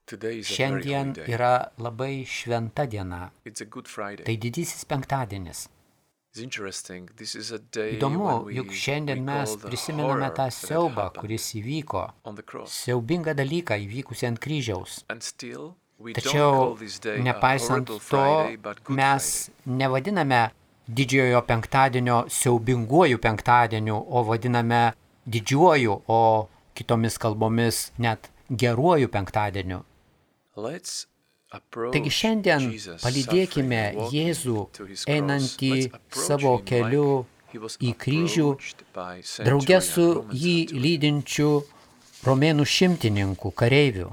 Šiandien yra labai šventa diena. Tai didysis penktadienis. Įdomu, juk šiandien mes prisimename tą siaubą, kuris įvyko, siaubingą dalyką įvykusį ant kryžiaus. Tačiau, nepaisant to, mes nevadiname didžiojo penktadienio siaubinguoju penktadieniu, o vadiname didžiuoju, o kitomis kalbomis net geruoju penktadieniu. Taigi šiandien palydėkime Jėzų einantį savo keliu į kryžių, drauge su jį lydinčiu romėnų šimtininkų kareivių.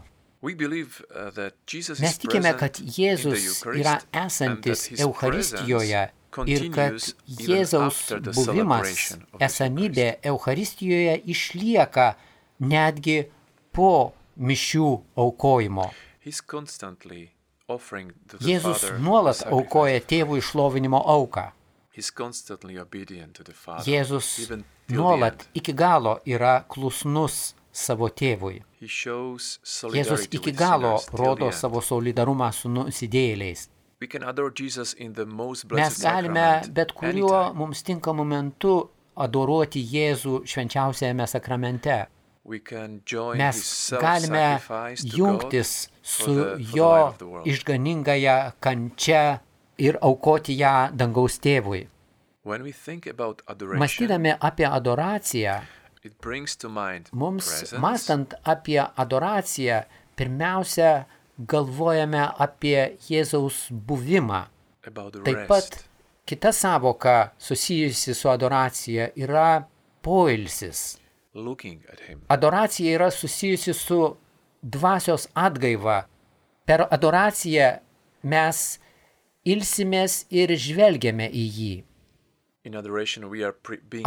Mes tikime, kad Jėzus yra esantis Eucharistijoje ir kad Jėzaus buvimas, esamybė Eucharistijoje išlieka netgi po mišių aukojimo. Jėzus nuolat aukoja tėvų šlovinimo auką. Jėzus nuolat iki galo yra klusnus savo tėvui. Jėzus iki galo rodo savo solidarumą su nusidėjėliais. Mes galime bet kuriuo mums tinkamu momentu adoruoti Jėzų švenčiausiajame sakramente. Mes galime jungtis su jo išganingąja kančia ir aukoti ją dangaus tėvui. Mąstydami apie adoraciją, mums mąstant apie adoraciją, pirmiausia galvojame apie Jėzaus buvimą. Taip pat kita sąvoka susijusi su adoracija yra poilsis. Adoracija yra susijusi su dvasios atgaiva. Per adoraciją mes ilsimės ir žvelgiame į jį.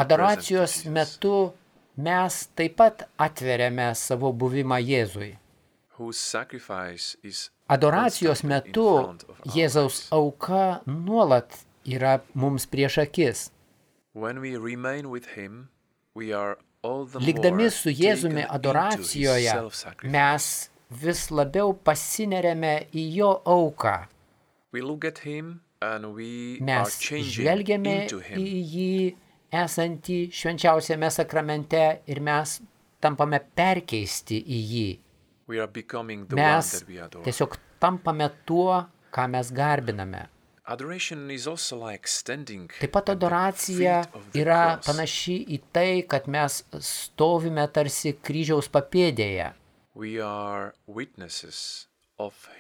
Adoracijos metu mes taip pat atveriame savo buvimą Jėzui. Adoracijos metu Jėzaus auka nuolat yra mums prieš akis. Likdami su Jėzumi adoracijoje, mes vis labiau pasineriame į jo auką. Mes žvelgiame į jį esantį švenčiausiame sakramente ir mes tampame perkeisti į jį. Mes tiesiog tampame tuo, ką mes garbiname. Taip pat adoracija yra panaši į tai, kad mes stovime tarsi kryžiaus papėdėje.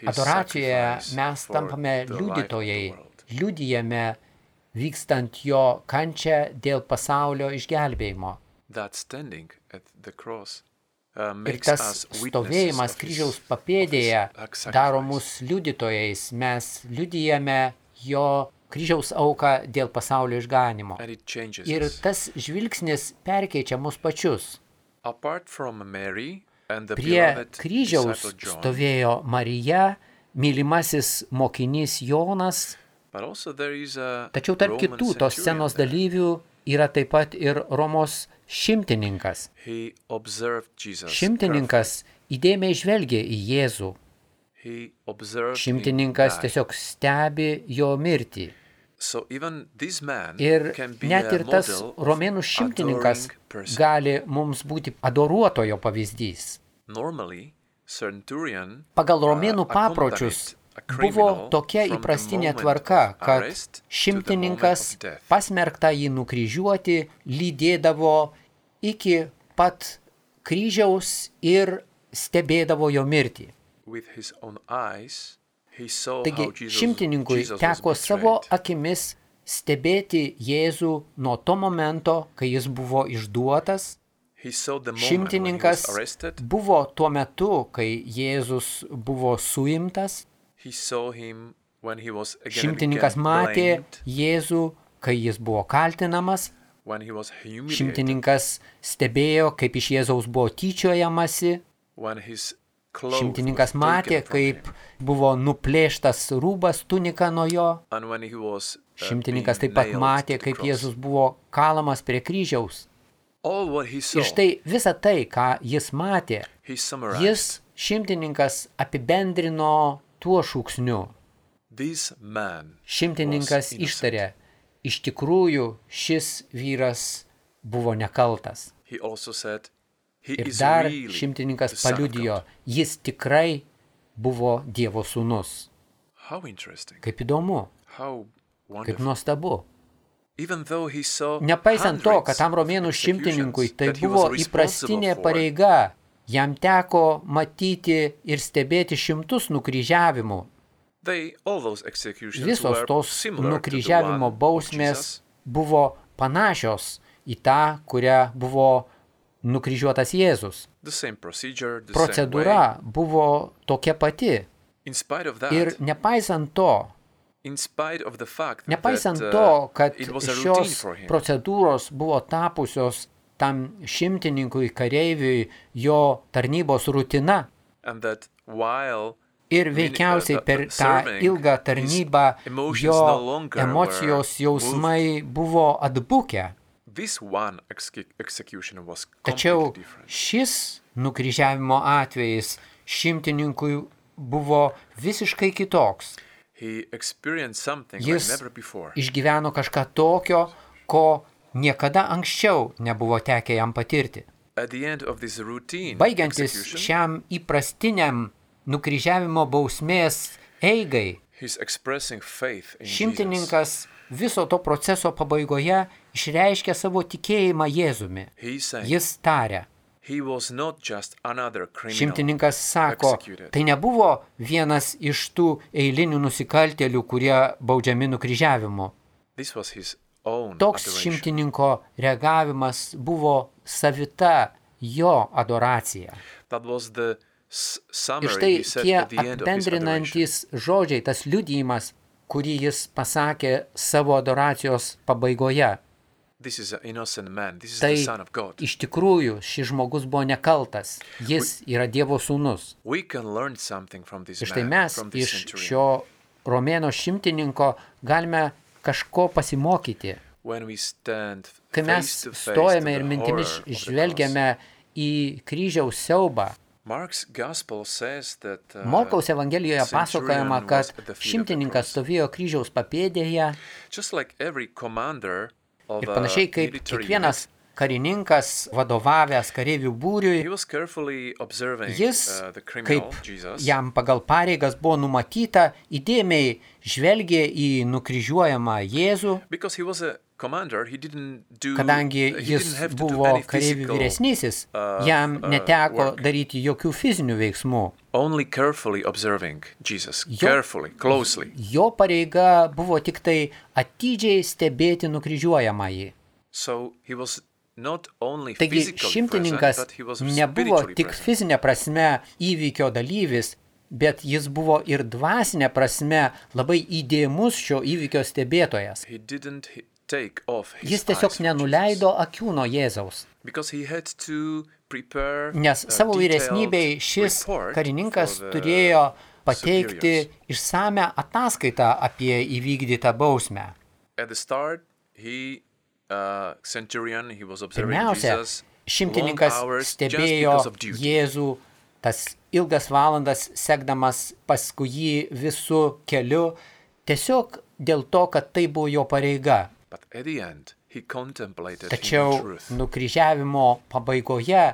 Adoracijoje mes tampame liudytojai, liudijame vykstant jo kančią dėl pasaulio išgelbėjimo. Ir tas stovėjimas kryžiaus papėdėje daro mus liudytojais, mes liudijame jo kryžiaus auką dėl pasaulio išganimo. Ir tas žvilgsnis perkeičia mus pačius. Prie kryžiaus stovėjo Marija, mylimasis mokinys Jonas, tačiau tarp kitų tos scenos dalyvių yra taip pat ir Romos šimtininkas. Šimtininkas įdėmiai žvelgia į Jėzų. Šimtininkas tiesiog stebi jo mirtį. Ir net ir tas romėnų šimtininkas gali mums būti adoruotojo pavyzdys. Pagal romėnų papročius buvo tokia įprastinė tvarka, kad šimtininkas pasmerktą jį nukryžiuoti lydėdavo iki pat kryžiaus ir stebėdavo jo mirtį. Taigi šimtininkui teko savo akimis stebėti Jėzų nuo to momento, kai jis buvo išduotas. Šimtininkas buvo tuo metu, kai Jėzus buvo suimtas. Šimtininkas matė Jėzų, kai jis buvo kaltinamas. Šimtininkas stebėjo, kaip iš Jėzaus buvo tyčiojamasi. Šimtininkas matė, kaip buvo nuplėštas rūbas, tunika nuo jo. Šimtininkas taip pat matė, kaip Jėzus buvo kalamas prie kryžiaus. Ir štai visą tai, ką jis matė, jis šimtininkas apibendrino tuo šūksniu. Šimtininkas ištarė, iš tikrųjų šis vyras buvo nekaltas. Ir dar šimtininkas paliudijo, jis tikrai buvo Dievo sūnus. Kaip įdomu, kaip nuostabu. Nepaisant to, kad tam romėnų šimtininkui tai buvo įprastinė pareiga, jam teko matyti ir stebėti šimtus nukryžiavimų. Visos tos nukryžiavimo bausmės buvo panašios į tą, kurią buvo nukryžiuotas Jėzus. Procedūra buvo tokia pati. Ir nepaisant to, kad šios procedūros buvo tapusios tam šimtininkui kareiviui jo tarnybos rutina, ir veikiausiai per tą ilgą tarnybą jo emocijos jausmai buvo atbukę. Tačiau šis nukryžiavimo atvejis šimtininkui buvo visiškai kitoks. Jis išgyveno kažką tokio, ko niekada anksčiau nebuvo tekę jam patirti. Baigiantis šiam įprastiniam nukryžiavimo bausmės eigai, šimtininkas viso to proceso pabaigoje išreiškė savo tikėjimą Jėzumi. Jis tarė. Šimtininkas sako, tai nebuvo vienas iš tų eilinių nusikaltėlių, kurie baudžiami nukryžiavimu. Toks šimtininko reagavimas buvo savita jo adoracija. Ir štai tie apibendrinantys žodžiai, tas liudijimas, kurį jis pasakė savo adoracijos pabaigoje. Tai iš tikrųjų šis žmogus buvo nekaltas, jis yra Dievo sūnus. Ir štai mes iš šio romėno šimtininko galime kažko pasimokyti. Kai mes stojame ir mintimis žvelgiame į kryžiaus siaubą, Morkaus Evangelijoje pasakojama, kad šimtininkas stovėjo kryžiaus papėdėje ir panašiai kaip kiekvienas karininkas vadovavęs kareivių būriui, jis, kaip jam pagal pareigas buvo numatyta, įdėmiai žvelgė į nukryžiuojamą Jėzų, kadangi jis buvo kareivių vyresnysis, jam neteko daryti jokių fizinių veiksmų. Jo pareiga buvo tik tai atidžiai stebėti nukryžiuojamąjį. Taigi šimtininkas nebuvo tik fizinė prasme įvykio dalyvis, bet jis buvo ir dvasinė prasme labai įdėmus šio įvykio stebėtojas. Jis tiesiog nenuleido akių nuo Jėzaus. Nes savo vyresnybei šis karininkas turėjo pateikti išsamią ataskaitą apie įvykdytą bausmę. Pirmiausia, šimtininkas stebėjo Jėzų tas ilgas valandas, sekdamas paskui jį visų keliu, tiesiog dėl to, kad tai buvo jo pareiga. Tačiau nukryžiavimo pabaigoje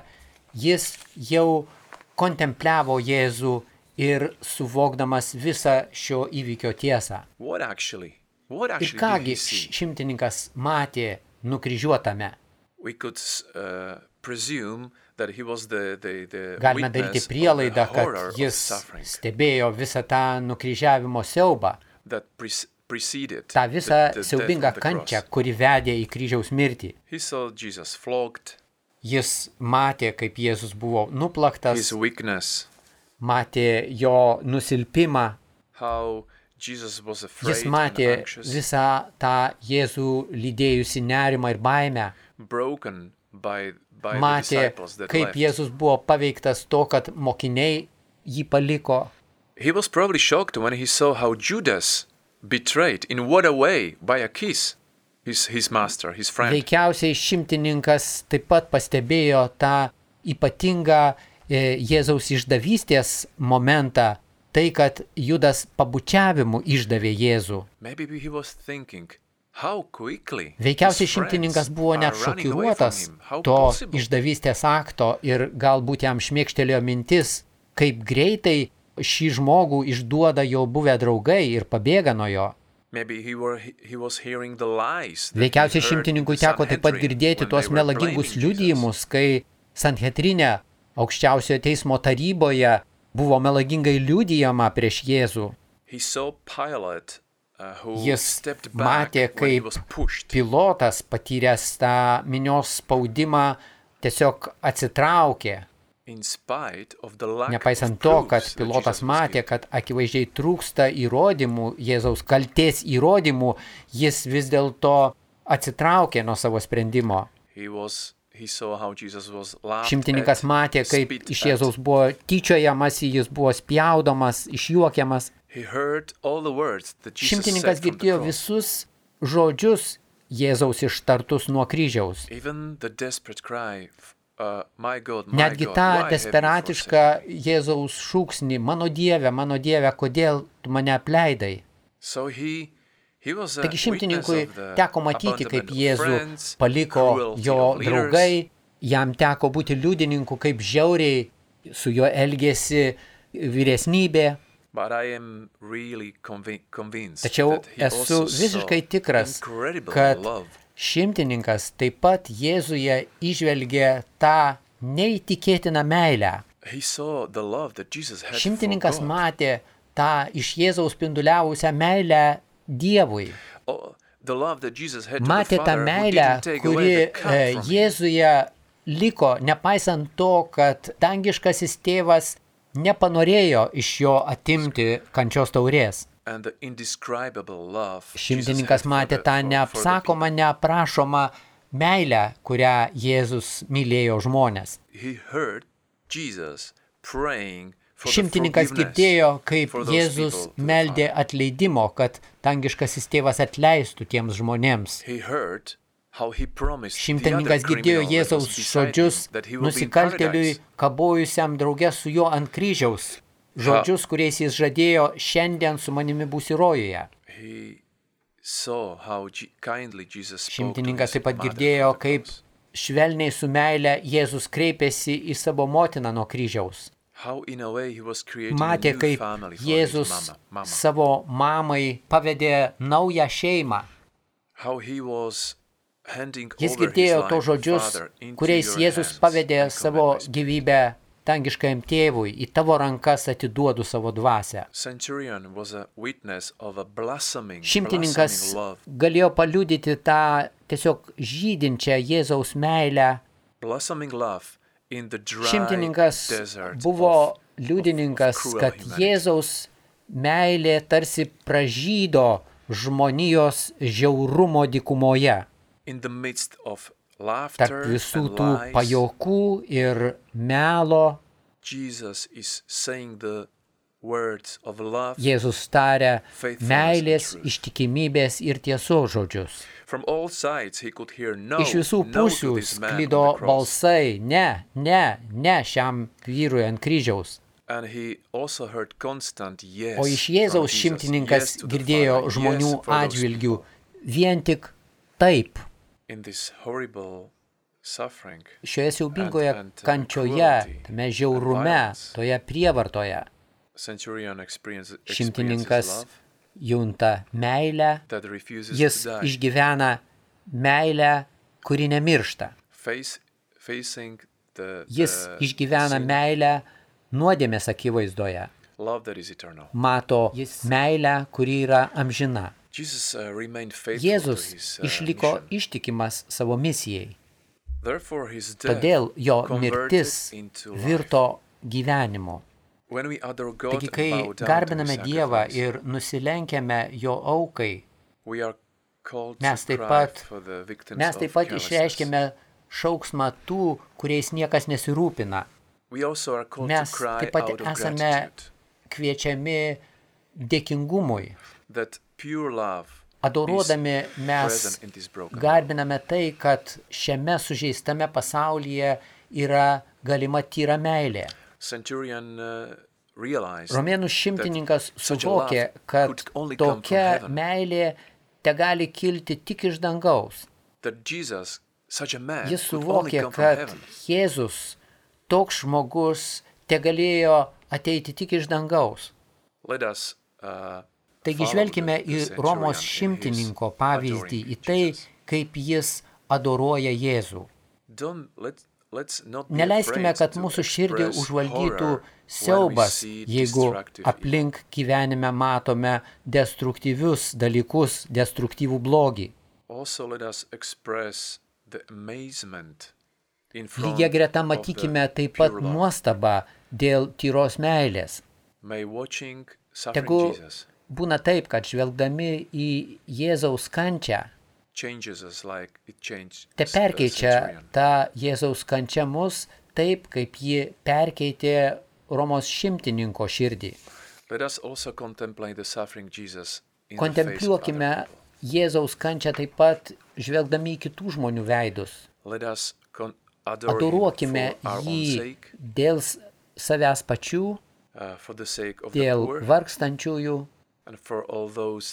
jis jau kontempliavo Jėzų ir suvokdamas visą šio įvykio tiesą. Ir kągi šimtininkas matė nukryžiuotame? Galime daryti prielaidą, kad jis stebėjo visą tą nukryžiavimo siaubą, tą visą siaubingą kančią, kuri vedė į kryžiaus mirtį. Jis matė, kaip Jėzus buvo nuplaktas, matė jo nusilpimą, jis matė visą tą Jėzų lydėjusi nerimą ir baimę, matė, kaip Jėzus buvo paveiktas to, kad mokiniai jį paliko. He was probably shocked when he saw how Judas betrayed, in what a way, by a kiss, his master, his friend. Veikiausiai šimtininkas taip pat pastebėjo tą ypatingą Jėzaus išdavystės momentą, tai, kad Judas pabučiavimu išdavė Jėzų. Veikiausiai šimtininkas buvo net šokiruotas to išdavystės akto ir galbūt jam šmėkštelėjo mintis, kaip greitai šį žmogų išduoda jo buvę draugai ir pabėga nuo jo. Veikiausiai šimtininkui teko taip pat girdėti tuos melagingus liudijimus, kai Sanhedrine, aukščiausiojo teismo taryboje, buvo melagingai liudijama prieš Jėzų. Jis matė, kaip Pilotas, patyręs tą minios spaudimą, tiesiog atsitraukė. Nepaisant to, kad Pilotas matė, kad akivaizdžiai trūksta įrodymų, Jėzaus kaltės įrodymų, jis vis dėlto atsitraukė nuo savo sprendimo. Šimtininkas matė, kaip iš Jėzaus buvo tyčiojamas, jis buvo spjaudomas, išjuokiamas. Šimtininkas girdėjo visus žodžius Jėzaus ištartus nuo kryžiaus. Netgi tą desperatišką Jėzaus šūksnį, mano Dieve, kodėl tu mane apleidai? Taigi šimtininkui teko matyti, kaip Jėzų paliko jo draugai, jam teko būti liudininku, kaip žiauriai su juo elgėsi vyresnybė. Tačiau esu visiškai tikras, kad šimtininkas taip pat Jėzuje įžvelgė tą neįtikėtiną meilę. Šimtininkas matė tą iš Jėzaus spinduliavusią meilę Dievui. Matė tą meilę, kuri Jėzuje liko, nepaisant to, kad dangiškasis tėvas nepanorėjo iš jo atimti kančios taurės. Šimtininkas matė tą neapsakomą, neaprašomą meilę, kurią Jėzus mylėjo žmonės. Šimtininkas girdėjo, kaip Jėzus meldė atleidimo, kad dangiškasis tėvas atleistų tiems žmonėms. Šimtininkas girdėjo Jėzaus žodžius nusikaltėliui, kabojusiam drauge su juo ant kryžiaus. Žodžius, kuriais jis žadėjo, šiandien su manimi būsi rojuje. Šimtininkas taip pat girdėjo, kaip švelniai su meile Jėzus kreipėsi į savo motiną nuo kryžiaus. Matė, kaip Jėzus savo mamai pavedė naują šeimą. Jis girdėjo to žodžius, kuriais Jėzus pavedė savo gyvybę dangiškajam tėvui, į tavo rankas atiduodu savo dvasią. Šimtininkas galėjo paliudyti tą tiesiog žydinčią Jėzaus meilę. Šimtininkas buvo liudininkas, kad Jėzaus meilė tarsi pražydo žmonijos žiaurumo dykumoje. Tarp visų tų pajokų ir melo Jėzus taria meilės, ištikimybės ir tiesos žodžius. Iš visų pusių sklido balsai, ne šiam vyrui ant kryžiaus. O iš Jėzaus šimtininkas girdėjo žmonių atžvilgių vien tik taip. Šioje siaubingoje kančioje, tame žiaurume, toje prievartoje, šimtininkas junta meilę, jis išgyvena meilę, kuri nemiršta. Jis išgyvena meilę nuodėmės akivaizdoje. Mato meilę, kuri yra amžina. Jėzus išliko ištikimas savo misijai. Todėl jo mirtis virto gyvenimu. Taigi, kai garbiname Dievą ir nusilenkiame jo aukai, mes taip pat išreiškiame šauksmą tų, kuriais niekas nesirūpina. Mes taip pat esame kviečiami dėkingumui. Adoruodami mes garbiname tai, kad šiame sužeistame pasaulyje yra galima tyra meilė. Romėnų šimtininkas suvokė, kad tokia meilė tegali kilti tik iš dangaus. Jis suvokė, kad Jėzus, toks žmogus, tegalėjo ateiti tik iš dangaus. Taigi žvelkime į Romos šimtininko pavyzdį, į tai, kaip jis adoruoja Jėzų. Neleiskime, kad mūsų širdį užvaldytų siaubas, jeigu aplink gyvenime matome destruktyvius dalykus, destruktyvų blogį. Lygia greta matykime taip pat nuostabą dėl tyros meilės. Tegu būna taip, kad žvelgdami į Jėzaus kančią, te perkeičia tą Jėzaus kančią mus taip, kaip ji perkeitė Romos šimtininko širdį. Kontempliuokime Jėzaus kančią taip pat žvelgdami į kitų žmonių veidus. Adoruokime jį dėl savęs pačių, dėl vargstančiųjų,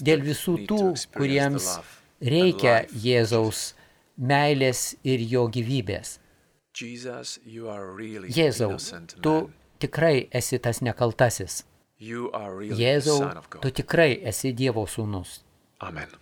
dėl visų tų, kuriems reikia Jėzaus meilės ir jo gyvybės. Jėzau, tu tikrai esi tas nekaltasis. Jėzau, tu tikrai esi Dievo sūnus. Amen.